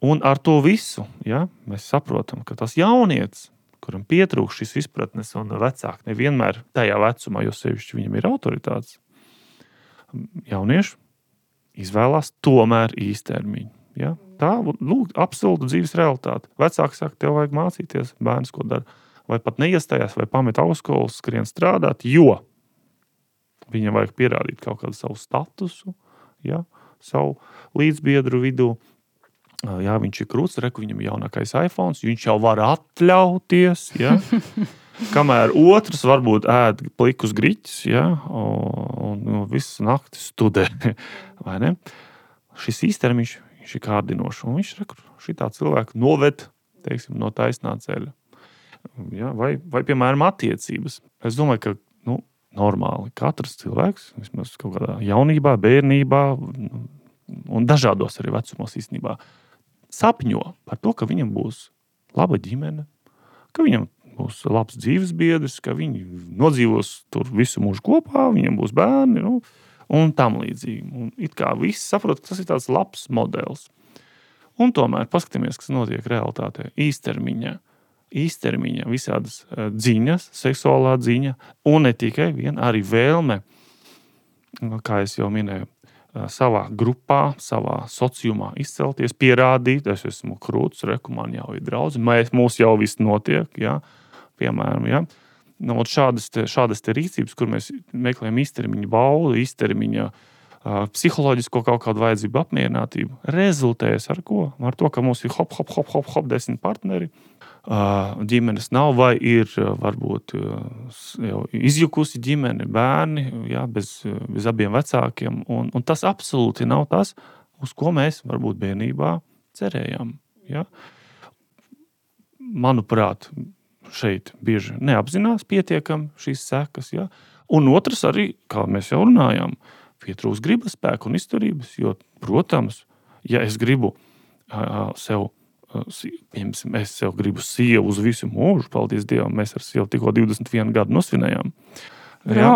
Un ar to visu, jā, mēs saprotam, ka tas jaunietis, kuram pietrūkst šis izpratnes un vecāki nevienmēr tajā vecumā, jo sevišķi viņam ir autoritātes, jaunieši izvēlās tomēr īstermiņu. Ja? Tā, lūk, absolūta dzīves realitāte. Vecāki saka, tev vajag mācīties, bērns ko dara, vai pat neiestājās, vai pamet augstskolu, skrien strādāt, jo viņam vajag pierādīt kaut kādu savu statusu, ja? Savu līdzbiedru vidū. Jā, viņš ir krūts, reku, viņam ir jaunākais iPhones, viņš jau var atļauties, ja? Kamēr otrs varbūt ēd plikus griķus, ja, un, un visas naktis studē, vai ne? Šis īstermiņš, viņš ir kārdinošs, un viņš šitā cilvēku noved, teiksim, no taisnā ceļa. Ja, vai, vai, piemēram, attiecības. Es domāju, ka, nu, normāli katrs cilvēks, vismaz kaut kādā jaunībā, bērnībā, un dažādos arī vecumos īstenībā, sapņo par to, ka viņam būs laba ģimene, ka viņam būs labs dzīves biedrs, ka viņi nodzīvos tur visu mūžu kopā, viņam būs bērni, nu, un tam līdzīgi. Un it kā viss saprot, ka tas ir tāds labs modelis. Un tomēr paskatāmies, kas notiek realitātē. Īstermiņā, īstermiņā visādas dziņas, seksuālā dziņa, un ne tikai vien, arī vēlme, kā es jau minēju, savā grupā, savā sociumā izcelties, pierādīt, es esmu krūts, reku, man jau ir draudzi, mēs, mūs jau viss notiek, jā, piemēram, jā. Nu, šādas, te, šādas te rīcības, kur mēs meklējam īstermiņa baudu, īstermiņa uh, psiholoģisko kaut kādu vajadzību apmierinātību, rezultējas ar ko? Ar to, ka mums ir hop, hop, hop, hop, hop, desmit partneri, uh, ģimenes nav vai ir uh, varbūt uh, jau izjukusi ģimene, bērni, jā, bez, bez abiem vecākiem, un, un tas absolūti nav tas, uz ko mēs varbūt bērnībā cerējām, jā. Manuprāt, šeit bieži neapzinās pietiekam šīs sekas, ja? Un otrs arī, kā mēs jau runājām, pietrūks gribas spēku un izturības, jo, protams, ja es gribu uh, sev, uh, piemēram, es sev gribu sievu uz visu mūžu, paldies Dievam, mēs ar sievu tikko divdesmit vienu gadu nosvinējām. Ja?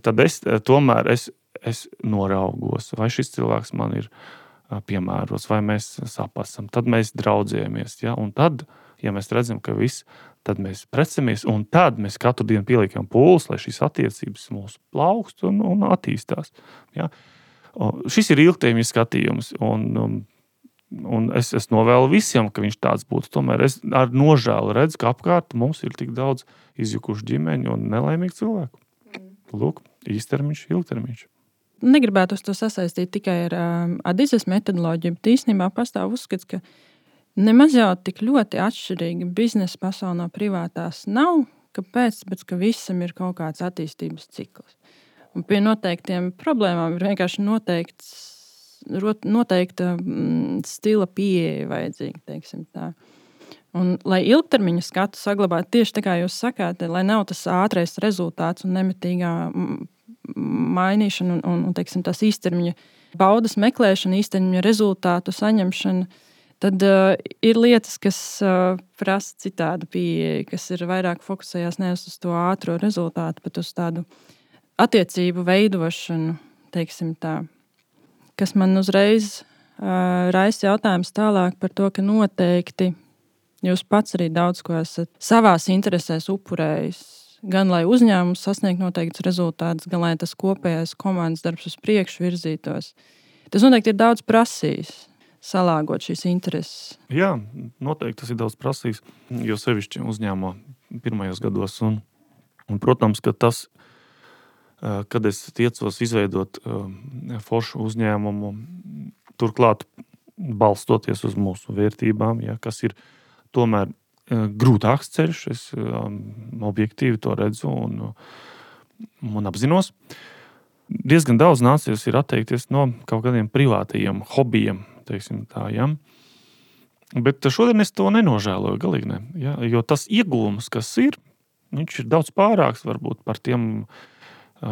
Tad es tomēr es, es noraugos, vai šis cilvēks man ir uh, piemērots, vai mēs sapasam, tad mēs draudzējamies, ja? Un tad, ja mēs redzam, ka viss, tad mēs precemies, un tad mēs katru dienu pieliekam pūles, lai šīs attiecības mūs plaukst un, un attīstās. Ja? Un šis ir ilgtermiņa skatījums, un, un, un es, es novēlu visiem, ka viņš tāds būtu. Tomēr es ar nožēlu redzu, ka apkārt mums ir tik daudz izjukušu ģimeņu un nelaimīgu cilvēku. Lūk, īstermiņš, ilgtermiņš. Negribētu to sasaistīt tikai ar um, adizes metodoloģiju, bet īstenībā pastāv uzskats, ka nemaz jau tik ļoti atšķirīgi biznesa pasaulē no privātās nav, kāpēc, bet ka visam ir kaut kāds attīstības cikls. Un pie noteiktiem problēmām ir vienkārši noteikts, noteikta mm, stila pieeja vajadzīga, teiksim tā. Un, lai ilgtermiņa skatu saglabātu tieši tā kā jūs sakāt, lai nav tas ātrais rezultāts un nemitīgā mainīšana un, un, un teiksim, tās īstermiņa baudas meklēšana, īstermiņa rezultātu saņemšana, tad uh, ir lietas, kas uh, prasa citādu pieeju, kas ir vairāk fokusējās nevis uz to ātro rezultātu, bet uz tādu attiecību veidošanu, teiksim tā. Kas man uzreiz uh, raisa jautājums tālāk par to, ka noteikti jūs pats arī daudz ko esat savās interesēs upurējis, gan lai uzņēmums sasniegtu noteikts rezultātus, gan lai tas kopējais komandas darbs uz priekšu virzītos. Tas noteikti ir daudz prasījis. salāgot šīs intereses? Jā, noteikti tas ir daudz prasījis, jo sevišķi uzņēmumā pirmajos gados. Un, un, protams, ka tas, kad es tiecos izveidot foršu uzņēmumu, turklāt balstoties uz mūsu vērtībām, ja, kas ir tomēr grūtāks ceļš, es objektīvi to redzu un, un apzinos. Diezgan daudz nācies ir atteikties no kaut kādiem privātajiem hobijiem, teiksim tā, ja. Bet šodien es to nenožēloju, galīgi ne, ja, jo tas ieguvums, kas ir, viņš ir daudz pārāks varbūt par tiem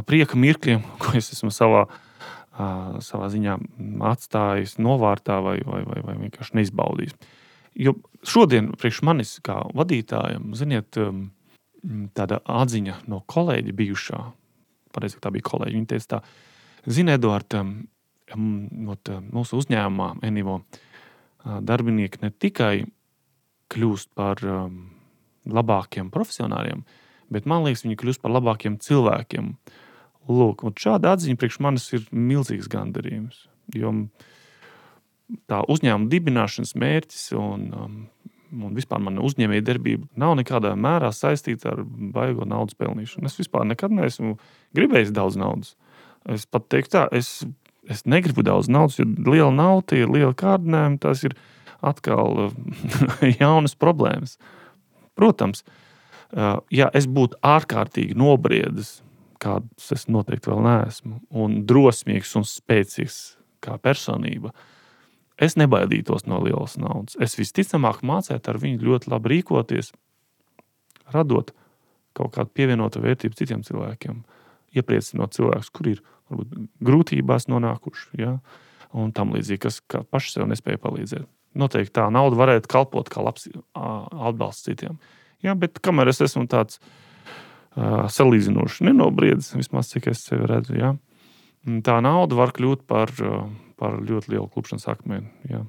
prieka mirkļiem, ko es esmu savā, savā ziņā atstājis novārtā vai, vai, vai, vai vienkārši neizbaudījis. Jo šodien priekš manis kā vadītājam, ziniet, tāda atziņa no kolēģa bijušā, pareizi, tā bija kolēģi, viņi teica tā, zini, Eduard, mūsu uzņēmumā Enivo darbinieki ne tikai kļūst par labākiem profesionāriem, bet man liekas, viņi kļūst par labākiem cilvēkiem. Lūk, un šāda atziņa priekš manis ir milzīgs gandarījums, jo tā uzņēmuma dibināšanas mērķis un, un vispār mana uzņēmēja darbība nav nekādā mērā saistīta ar baigo naudas pelnīšanu. Es vispār nekad neesmu gribējis daudz naudas. Es pat teiktu tā, es, es negribu daudz naudas, jo liela nauda ir liela kārdinājuma, tas ir atkal jaunas problēmas. Protams, ja es būtu ārkārtīgi nobriedis, kāds es noteikti vēl neesmu, un drosmīgs un spēcīgs kā personība, es nebaidītos no lielas naudas. Es visticamāk mācētu ar viņu ļoti labi rīkoties, radot kaut kādu pievienotu vērtību citiem cilvēkiem, iepriecinot cilvēkus, kur ir varbūt grūtībās nonākuši, ja, un tam līdzīgi, kas paši sev nespēja palīdzēt. Noteikti tā nauda varētu kalpot kā labs atbalsts citiem. Ja, bet kamēr es esmu tāds uh, salīdzinoši nenobriedis, vismaz cik es sevi redzu, ja, tā nauda var kļūt par, par ļoti lielu klupšanas akmeni. Ja.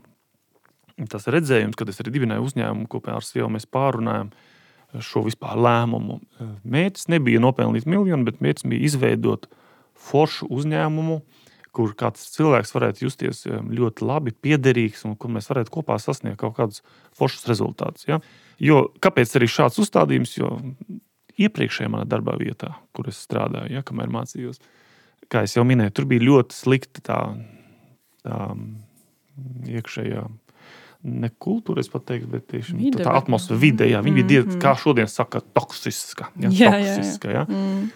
Tas redzējums, kad es arī dibināju uzņēmumu, kopā ar sievu mēs pārunājam šo vispār lēmumu. Mērķis nebija nopelnīt miljonu, bet mērķis bija izveidot foršu uzņēmumu, kur kāds cilvēks varētu justies ļoti labi, piederīgs un kur mēs varētu kopā sasniegt kaut kādus foršus rezultātus. Ja. Jo, kāpēc arī šāds uzstādījums? Jo iepriekšējā manā darbā vietā, kur es strādāju, ja, kamēr mācījos, kā es jau minēju, tur bija ļoti slikta tā, tā iekšējā, ne kultūra, es pat teiktu, bet tieši vide, tā atmosfēra, vide, jā, viņi bija, mm-hmm. kā šodien saka, toksiska, ja, jā, toksiska, jā, jā. Ja. Mm.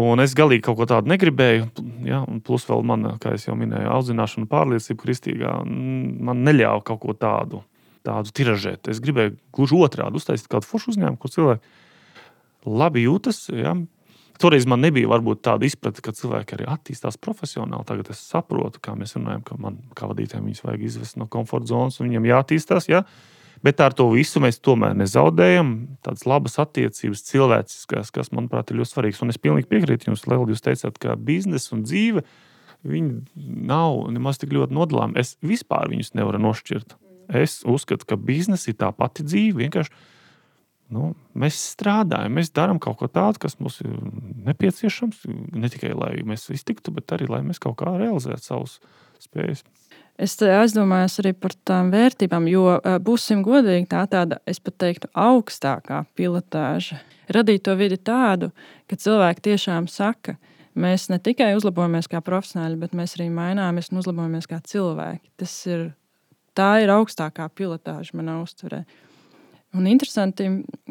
Un es galīgi kaut ko tādu negribēju, ja, un plus vēl man, kā es jau minēju, audzināšana un pārliecība kristīgā, man neļāva kaut ko tādu, tādu tiražēt. Es gribēju gluži otrādi uztaisīt kādu foršu uzņēmumu, kur cilvēki labi jūtas, ja. Toreiz man nebija varbūt tāda izprata, ka cilvēki arī attīstās profesionāli. Tagad es saprotu, kā mēs runājam, ka man kā vadītājiem viņus vajag izvest no komforta zonas un viņiem jāattīstās, ja. Bet ar to visu mēs tomēr nezaudējam. Tādas labas attiecības cilvēciskas, kas, manuprāt, ir ļoti svarīgas. Un es pilnīgi piekrītu jums, Lēl, jūs teicāt, ka biznes un dzīve, viņi nav nemaz tik ļoti nodalām. Es vispār viņus nevaru nošķirt. Es uzskatu, ka biznes ir tā pati dzīve. Vienkārši nu, mēs strādājam, mēs darām kaut ko tādu, kas mums ir nepieciešams. Ne tikai, lai mēs iztiktu, bet arī, lai mēs kaut kā realizētu savus spējas. Es aizdomājos arī par tām vērtībām, jo būsim godīgi, tā tāda, es pat teiktu, augstākā pilotāža. Radīt to vidi tādu, ka cilvēki tiešām saka, mēs ne tikai uzlabojamies kā profesionāļi, bet mēs arī maināmies un uzlabojamies kā cilvēki. Tas ir, tā ir augstākā pilotāža manā uztverē. Un interesanti,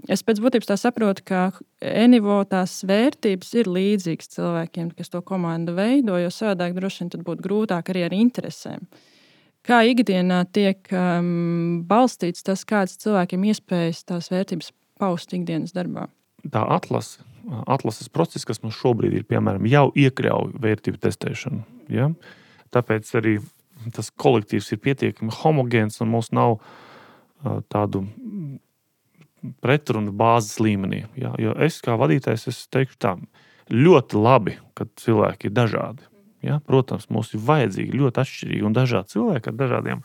es pēc būtības tā saprotu, ka Enivo tās vērtības ir līdzīgas cilvēkiem, kas to komandu veido, jo savādāk droši vien tad būtu grūtāk arī ar interesēm. Kā ikdienā tiek um, balstīts tas, kāds cilvēkiem iespējas tās vērtības paust ikdienas darbā? Tā atlase, atlases process, kas mums šobrīd ir, piemēram, jau iekļauj vērtību testēšanu. Ja? Tāpēc arī tas kolektīvs ir pietiekami homogēns un mums nav uh, tādu pretrunu bāzes līmenī. Ja? Jo es kā vadītājs, es teikšu tā, ļoti labi, kad cilvēki ir dažādi. Ja? Protams, mums ir vajadzīgi ļoti atšķirīgi un dažādi cilvēki ar dažādiem,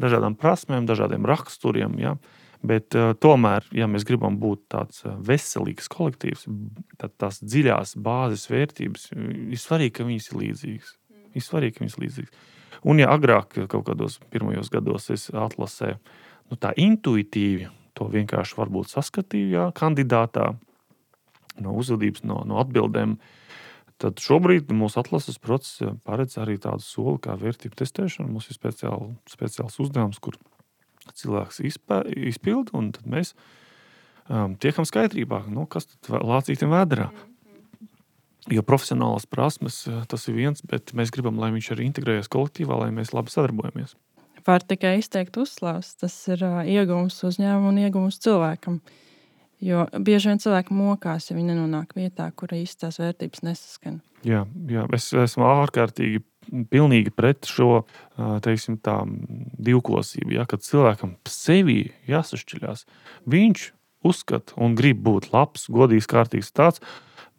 dažādām prasmēm, dažādiem raksturiem. Ja? Bet uh, tomēr, ja mēs gribam būt tāds veselīgs kolektīvs, tad tās dziļās bāzes vērtības ir svarīgi, ka viņas ir līdzīgas. Ir svarīgi, ka viņas ir līdzīgas. Un ja agrāk kaut kādos pirmajos gados es atlasēju, nu tā intuitīvi to vienkārši varbūt saskatīju, jā, kandidātā, no uzvedības, no, no atbildēm, tad šobrīd mūsu atlases process paredz arī tādu soli kā vērtību testēšana. Mums ir speciāli, speciāls uzdevums, kur cilvēks izpē, izpild, un tad mēs um, tiekam skaidrībā, nu, kas tad lācītim vēderā. Jo profesionālās prasmes tas ir viens, bet mēs gribam, lai viņš arī integrējas kolektīvā, lai mēs labi sadarbojamies. Var tikai izteikt uzslavas. Tas ir uh, iegūms uzņēmumu un iegūms cilvēkam. Jo bieži vien cilvēki mokās, ja viņi nenonāk vietā, kur īsti tās vērtības nesaskan. Jā, jā, es esmu ārkārtīgi pilnīgi pret šo, teiksim tā, divkosību, ja, kad cilvēkam sevī jāsašķiļās. Viņš uzskata un grib būt labs, godīgs, kārtīgs tāds,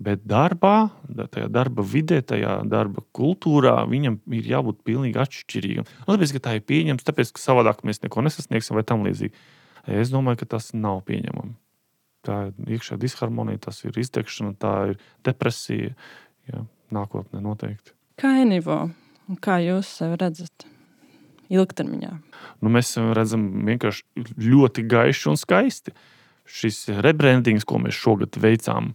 bet darbā, tajā darba vidē, tajā darba kultūrā viņam ir jābūt pilnīgi atšķirīgam. Un tāpēc, ka tā ir pieņems, tāpēc, ka savādāk mēs neko nesasniegsim vai tam līdzīgi. Es domāju, ka tas nav pieņemami. Tā ir iekšā disharmonija, tas ir iztekšana, tā ir depresija, jā, nākotnē noteikti. Kā Enivo? Kā jūs sevi redzat ilgtermiņā? Nu, mēs redzam vienkārši ļoti gaiši un skaisti. Šis rebrandings, ko mēs šogad veicām,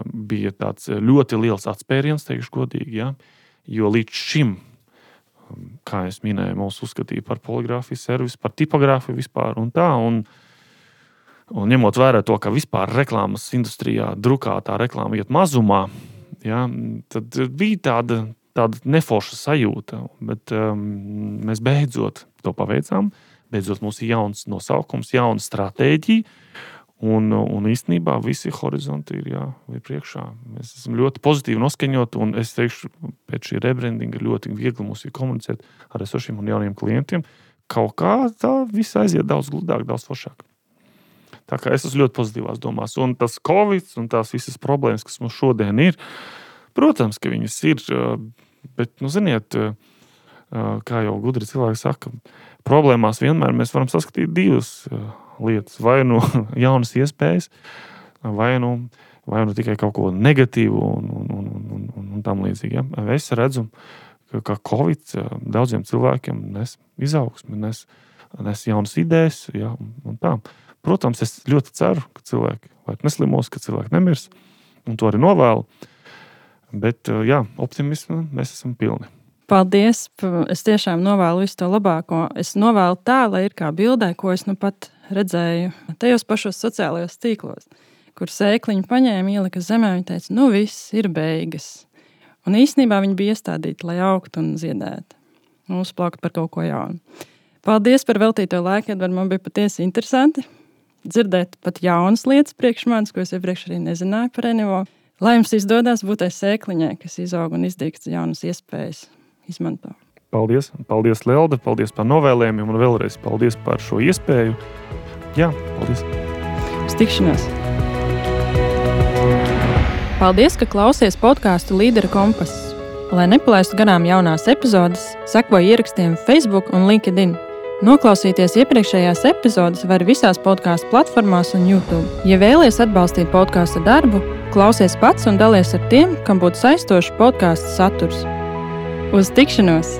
bija tāds ļoti liels atspēriens, teikšu godīgi, jā, jo līdz šim, kā es minēju, mūs uzskatīja par poligrāfijas servisu, par tipogrāfiju vispār un tā, un Un ņemot vērā to, ka vispār reklāmas industrijā drukātā reklāma iet mazumā, ja, tad bija tāda, tāda neforša sajūta, bet um, mēs beidzot to paveicām. Beidzot mums ir jauns nosaukums, jauna stratēģija, un, un īstenībā visi horizonti ir, jā, ir priekšā. Mēs esam ļoti pozitīvi noskaņoti, un es teikšu, pēc šī rebrandinga ļoti viegli mums ir komunicēt ar esošiem un jauniem klientiem. Kaut kā tā viss aiziet daudz gludāk, daudz foršāk. Tā kā es esmu ļoti pozitīvās domās. Un tas Covid un tās visas problēmas, kas mums šodien ir, protams, ka viņas ir, bet, nu, ziniet, kā jau gudri cilvēki saka, problēmās vienmēr mēs varam saskatīt divas lietas. Vai nu jaunas iespējas, vai nu, vai nu tikai kaut ko negatīvu un, un, un, un, un, un tam līdzīgi. Ja? Es redzu, ka Covid daudziem cilvēkiem nes izaugsmi, nes, nes jaunas idejas, ja? Un tā. Protams, es ļoti ceru, ka cilvēki vairs neslimos, ka cilvēki nemirs, un to arī novēlu. Bet, jā, optimismu mēs esam pilni. Paldies! Es tiešām novēlu visu to labāko. Es novēlu tā, lai ir kā bildē, ko es nu pat redzēju tajos pašos sociālajos tīklos, kur sēkliņu paņēma, ielika zemē, viņa teica, nu viss ir beigas. Un īstenībā viņi bija iestādīti, lai augtu un ziedētu, un uzplaukt par kaut ko jaunu. Paldies par veltīto laiku, Edvard, man bija patiesi interesanti dzirdēt pat jaunas lietas priekš manis, ko es iepriekš arī nezināju par Enivo. Lai jums izdodas būt tai sēkliņai, kas izaug un izdīkst jaunas iespējas izmanto. Paldies, paldies Lelde, paldies par novēlējumiem un vēlreiz paldies par šo iespēju. Jā, paldies. Uz tikšanos. Paldies, ka klausies podcastu Līdera kompass. Lai nepalaistu garām jaunās epizodes, sekoji ierakstiem Facebook un LinkedIn. Noklausīties iepriekšējās epizodes var visās podcastu platformās un YouTube. Ja vēlies atbalstīt podcastu darbu, klausies pats un dalies ar tiem, kam būtu saistošs podcastu saturs. Uz tikšanos!